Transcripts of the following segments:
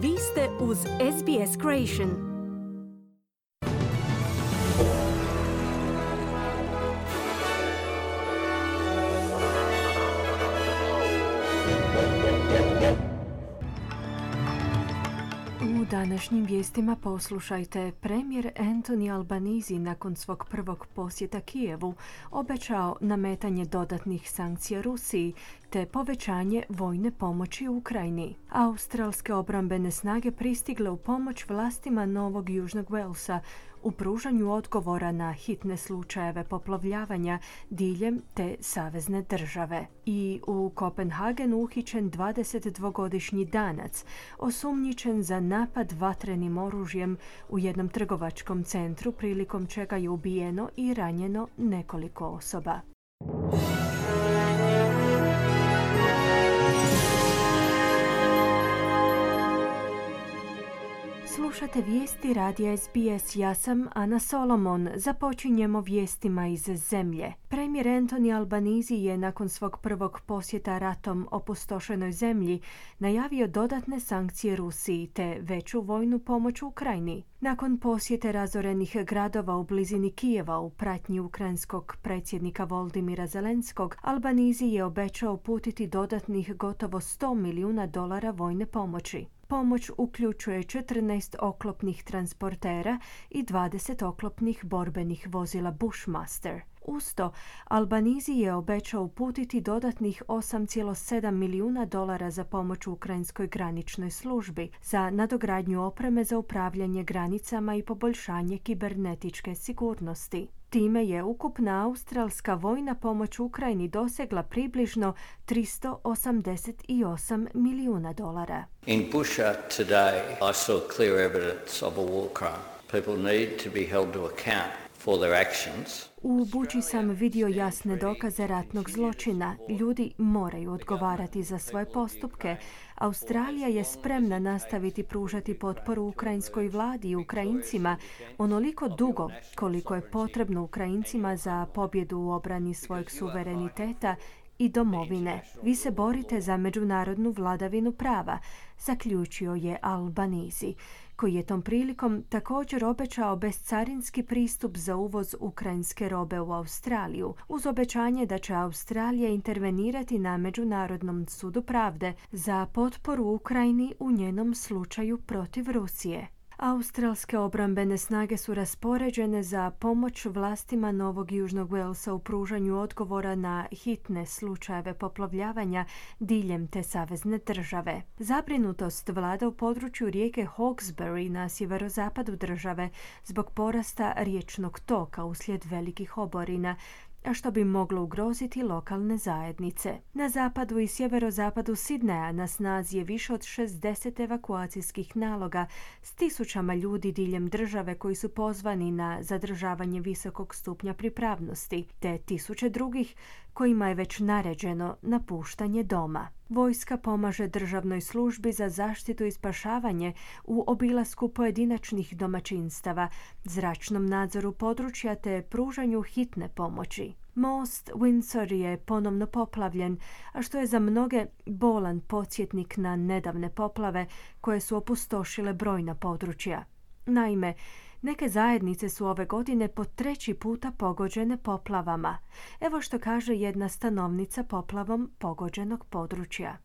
Vi ste uz SBS Creation. U današnjim vijestima poslušajte. Premijer Anthony Albanese nakon svog prvog posjeta Kijevu obećao nametanje dodatnih sankcija Rusiji te povećanje vojne pomoći Ukrajini. Australske obrambene snage pristigle u pomoć vlastima Novog Južnog Walesa u pružanju odgovora na hitne slučajeve poplavljavanja diljem te savezne države. I u Kopenhagenu uhićen 22-godišnji Danac, osumnjičen za napad vatrenim oružjem u jednom trgovačkom centru, prilikom čega je ubijeno i ranjeno nekoliko osoba. Slušate vijesti radija SBS, ja sam Ana Solomon. Započinjemo vijestima iz zemlje. Premijer Anthony Albanese je nakon svog prvog posjeta ratom opustošenoj zemlji najavio dodatne sankcije Rusiji te veću vojnu pomoć Ukrajini. Nakon posjete razorenih gradova u blizini Kijeva u pratnji ukrajinskog predsjednika Volodymyra Zelenskog, Albanese je obećao uputiti dodatnih gotovo $100 milijuna vojne pomoći. Pomoć uključuje 14 oklopnih transportera i 20 oklopnih borbenih vozila Bushmaster. Uz to, Albanese je obećao uputiti dodatnih $8,7 milijuna za pomoć ukrajinskoj graničnoj službi, za nadogradnju opreme za upravljanje granicama i poboljšanje kibernetičke sigurnosti. Time je ukupna australska vojna pomoć Ukrajini dosegla približno $388 milijuna. In Bushehr today, I saw clear evidence of a war crime. People need to be held to account for their actions. U Buči sam vidio jasne dokaze ratnog zločina. Ljudi moraju odgovarati za svoje postupke. Australija je spremna nastaviti pružati potporu ukrajinskoj vladi i Ukrajincima onoliko dugo koliko je potrebno Ukrajincima za pobjedu u obrani svojeg suvereniteta i domovine. Vi se borite za međunarodnu vladavinu prava, zaključio je Albanese, koji je tom prilikom također obećao bescarinski pristup za uvoz ukrajinske robe u Australiju, uz obećanje da će Australija intervenirati na Međunarodnom sudu pravde za potporu Ukrajini u njenom slučaju protiv Rusije. Australske obrambene snage su raspoređene za pomoć vlastima Novog Južnog Walesa u pružanju odgovora na hitne slučajeve poplavljavanja diljem te savezne države. Zabrinutost vlada u području rijeke Hawkesbury na sjeverozapadu države zbog porasta riječnog toka uslijed velikih oborina, a što bi moglo ugroziti lokalne zajednice. Na zapadu i sjeverozapadu Sidneja na snazi je više od 60 evakuacijskih naloga s tisućama ljudi diljem države koji su pozvani na zadržavanje visokog stupnja pripravnosti, te tisuće drugih kojima je već naređeno napuštanje doma. Vojska pomaže državnoj službi za zaštitu i spašavanje u obilasku pojedinačnih domaćinstava, zračnom nadzoru područja te pružanju hitne pomoći. Most Windsor je ponovno poplavljen, a što je za mnoge bolan podsjetnik na nedavne poplave koje su opustošile brojna područja. Naime, neke zajednice su ove godine po 3. puta pogođene poplavama. Evo što kaže jedna stanovnica poplavom pogođenog područja.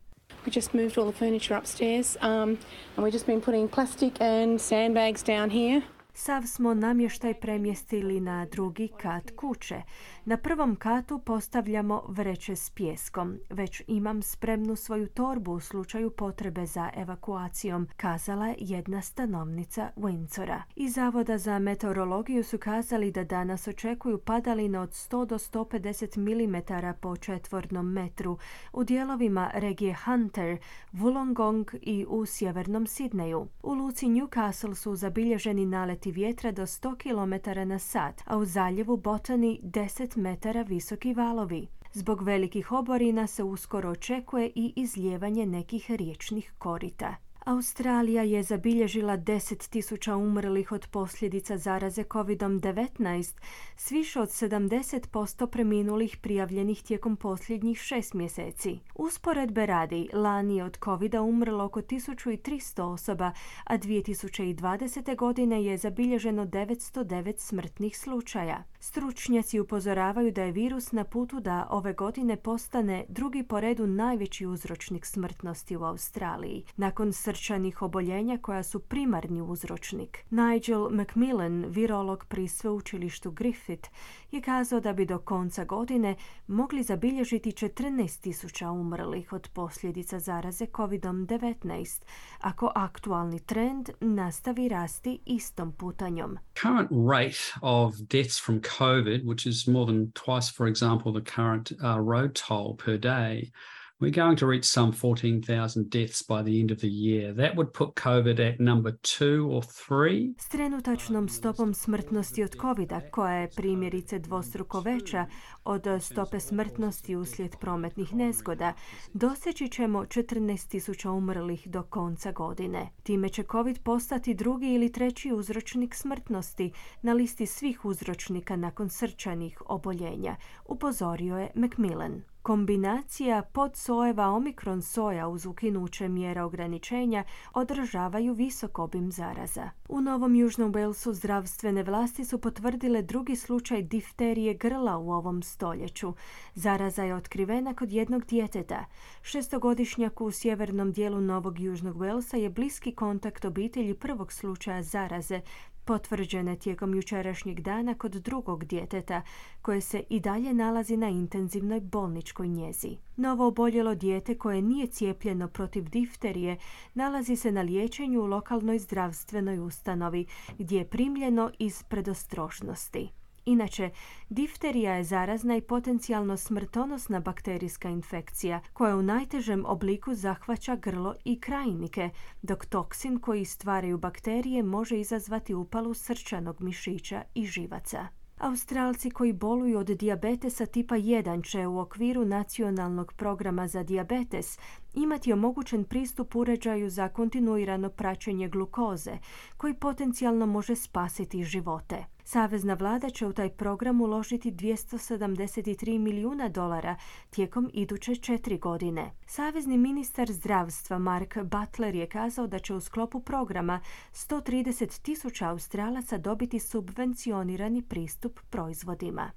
We just moved all the furniture upstairs and we've just been putting plastic and sandbags down here. Sav smo namještaj premjestili na drugi kat kuće. Na prvom katu postavljamo vreće s pijeskom. Već imam spremnu svoju torbu u slučaju potrebe za evakuacijom, kazala je jedna stanovnica Windsora. Iz Zavoda za meteorologiju su kazali da danas očekuju padalina od 100 do 150 mm po četvornom metru u dijelovima regije Hunter, Wollongong i u sjevernom Sidneju. U luci Newcastle su zabilježeni naleti vjetra do 100 km na sat, a u zaljevu Botany 10 metara visoki valovi. Zbog velikih oborina se uskoro očekuje i izlijevanje nekih riječnih korita. Australija je zabilježila 10.000 umrlih od posljedica zaraze COVID-19, s više od 70% preminulih prijavljenih tijekom posljednjih 6 mjeseci. Usporedbe radi, lani je od COVID-a umrlo oko 1300 osoba, a 2020. godine je zabilježeno 909 smrtnih slučaja. Stručnjaci upozoravaju da je virus na putu da ove godine postane drugi po redu najveći uzročnik smrtnosti u Australiji, nakon srčanih oboljenja koja su primarni uzročnik. Nigel Macmillan, virolog pri sveučilištu Griffith, je kazao da bi do konca godine mogli zabilježiti 14.000 umrlih od posljedica zaraze COVID-19, ako aktualni trend nastavi rasti istom putanjom. Current rate of deaths from COVID, which is more than twice, for example, the current road toll per day, we're going to reach some 14,000 deaths by the end of the year. That would put COVID at number 2 or 3. S trenutačnom stopom smrtnosti od COVID-a, koja je primjerice dvostruko veća od stope smrtnosti uslijed prometnih nezgoda, doseći ćemo 14.000 umrlih do konca godine. Time će COVID postati drugi ili treći uzročnik smrtnosti na listi svih uzročnika nakon srčanih oboljenja, upozorio je Macmillan. Kombinacija podsojeva omikron soja uz ukinuće mjera ograničenja održavaju visok obim zaraza. U Novom Južnom Walesu zdravstvene vlasti su potvrdile drugi slučaj difterije grla u ovom stoljeću. Zaraza je otkrivena kod jednog djeteta. 6-godišnjak u sjevernom dijelu Novog Južnog Walesa je bliski kontakt obitelji prvog slučaja zaraze, potvrđene tijekom jučerašnjeg dana kod drugog djeteta, koje se i dalje nalazi na intenzivnoj bolničkoj njezi. Novo oboljelo dijete koje nije cijepljeno protiv difterije nalazi se na liječenju u lokalnoj zdravstvenoj ustanovi, gdje je primljeno iz predostrožnosti. Inače, difterija je zarazna i potencijalno smrtonosna bakterijska infekcija koja u najtežem obliku zahvaća grlo i krajnike, dok toksin koji stvaraju bakterije može izazvati upalu srčanog mišića i živaca. Australci koji boluju od dijabetesa tipa 1 će u okviru nacionalnog programa za dijabetes imati omogućen pristup uređaju za kontinuirano praćenje glukoze, koji potencijalno može spasiti živote. Savezna vlada će u taj program uložiti $273 milijuna tijekom iduće 4 godine. Savezni ministar zdravstva Mark Butler je kazao da će u sklopu programa 130,000 Australaca dobiti subvencionirani pristup proizvodima.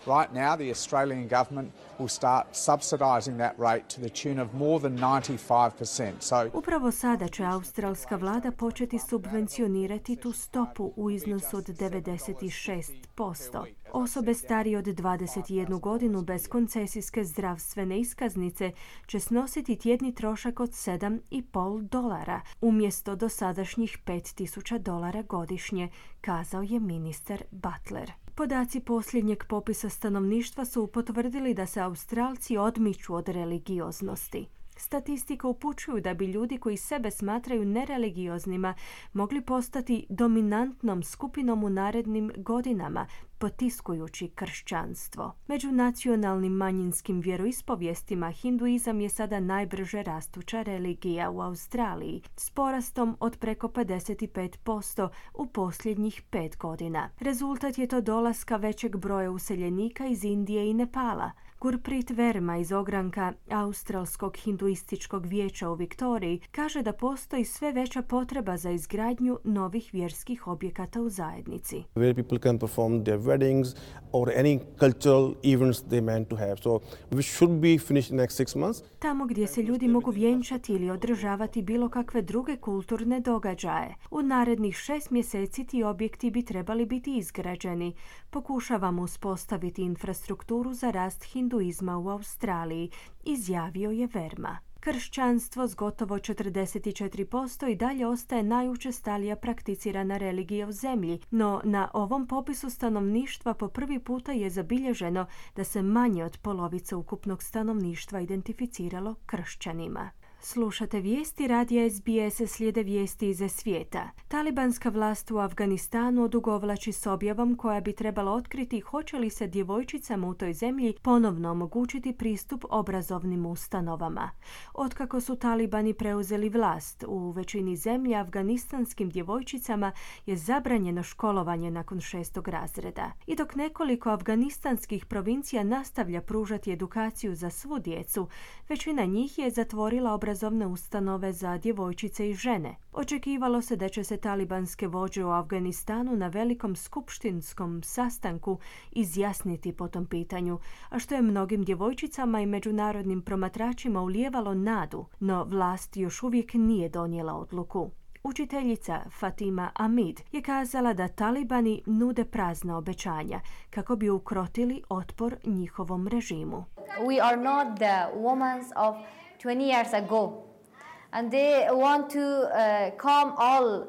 Right now, the Australian government will start subsidising that rate to the tune of more than 95%. Upravo sada će australska vlada početi subvencionirati tu stopu u iznosu od 96%. Osobe starije od 21 godinu bez koncesijske zdravstvene iskaznice će snositi tjedni trošak od $7,5 umjesto dosadašnjih $5,000 godišnje, kazao je ministar Butler. Podaci posljednjeg popisa stanovništva su potvrdili da se Australci odmiču od religioznosti. Statistika upućuju da bi ljudi koji sebe smatraju nereligijoznima mogli postati dominantnom skupinom u narednim godinama, potiskujući kršćanstvo. Među nacionalnim manjinskim vjeroispovijestima hinduizam je sada najbrže rastuća religija u Australiji, s porastom od preko 55% u posljednjih 5 godina. Rezultat je to dolaska većeg broja useljenika iz Indije i Nepala. Gurpreet Verma iz ogranka Australskog hinduističkog vijeća u Viktoriji kaže da postoji sve veća potreba za izgradnju novih vjerskih objekata u zajednici. Where people can perform their weddings or any cultural events they meant to have. So we should be finished in the next 6 months. Tamo gdje se ljudi mogu vjenčati ili održavati bilo kakve druge kulturne događaje. U narednih 6 mjeseci ti objekti bi trebali biti izgrađeni. Pokušavamo uspostaviti infrastrukturu za rast hinduizma u Australiji, izjavio je Verma. Kršćanstvo s gotovo 44% i dalje ostaje najučestalija prakticirana religija u zemlji, no na ovom popisu stanovništva po prvi puta je zabilježeno da se manje od polovice ukupnog stanovništva identificiralo kršćanima. Slušate vijesti radija SBS, slijede vijesti iz svijeta. Talibanska vlast u Afganistanu odugovlači s objavom koja bi trebala otkriti hoće li se djevojčicama u toj zemlji ponovno omogućiti pristup obrazovnim ustanovama. Otkako su talibani preuzeli vlast, u većini zemlje afganistanskim djevojčicama je zabranjeno školovanje nakon 6. razreda. I dok nekoliko afganistanskih provincija nastavlja pružati edukaciju za svu djecu, većina njih je zatvorila obrazovne ustanove za djevojčice i žene. Očekivalo se da će se talibanske vođe u Afganistanu na velikom skupštinskom sastanku izjasniti po tom pitanju, a što je mnogim djevojčicama i međunarodnim promatračima ulijevalo nadu, no vlast još uvijek nije donijela odluku. Učiteljica Fatima Amid je kazala da talibani nude prazna obećanja kako bi ukrotili otpor njihovom režimu. We are not the women of 20 years ago, and they want to calm all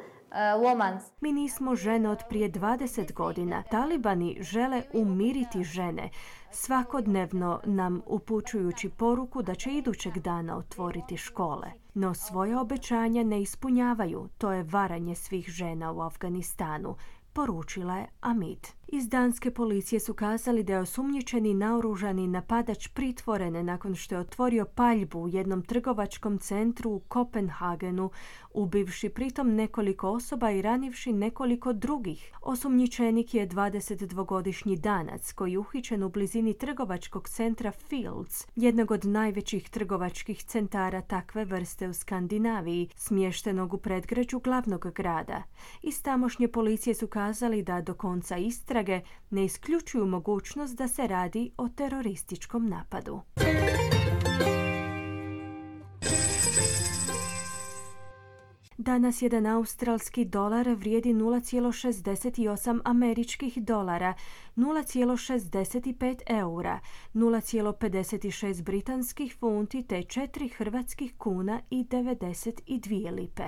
women. Mi nismo žene od prije 20 godina. Talibani žele umiriti žene, svakodnevno nam upućujući poruku da će idućeg dana otvoriti škole. No svoje obećanja ne ispunjavaju. To je varanje svih žena u Afganistanu, poručila je Amid. Iz danske policije su kazali da je osumnjičeni naoružani napadač pritvoren nakon što je otvorio paljbu u jednom trgovačkom centru u Kopenhagenu, ubivši pritom nekoliko osoba i ranivši nekoliko drugih. Osumnjičenik je 22-godišnji Danac koji je uhićen u blizini trgovačkog centra Fields, jednog od najvećih trgovačkih centara takve vrste u Skandinaviji, smještenog u predgrađu glavnog grada. Iz tamošnje policije su kazali da do konca istrage ne isključuju mogućnost da se radi o terorističkom napadu. Danas jedan australski dolar vrijedi 0,68 američkih dolara, 0,65 eura, 0,56 britanskih funti te 4 hrvatskih kuna i 92 lipe.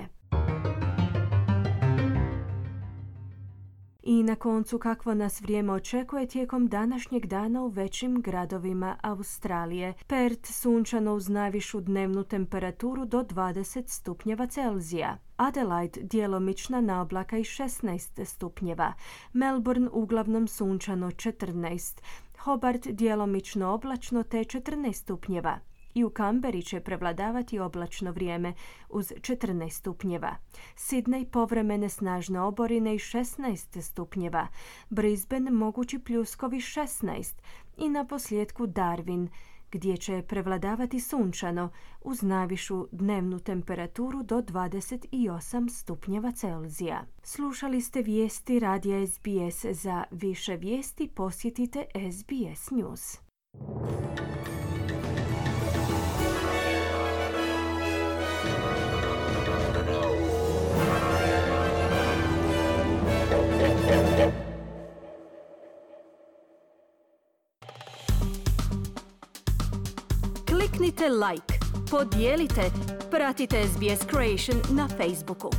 I na koncu kakvo nas vrijeme očekuje tijekom današnjeg dana u većim gradovima Australije. Perth sunčano uz najvišu dnevnu temperaturu do 20 stupnjeva Celzija. Adelaide djelomična naoblaka i 16 stupnjeva. Melbourne uglavnom sunčano 14. Hobart djelomično oblačno te 14 stupnjeva. I u Kamberi će prevladavati oblačno vrijeme uz 14 stupnjeva. Sydney povremene snažne oborine i 16 stupnjeva. Brisbane mogući pljuskovi 16. I na posljedku Darwin, gdje će prevladavati sunčano uz najvišu dnevnu temperaturu do 28 stupnjeva Celzija. Slušali ste vijesti radija SBS. Za više vijesti posjetite SBS News. Kliknite like, podijelite, pratite SBS Creation na Facebooku.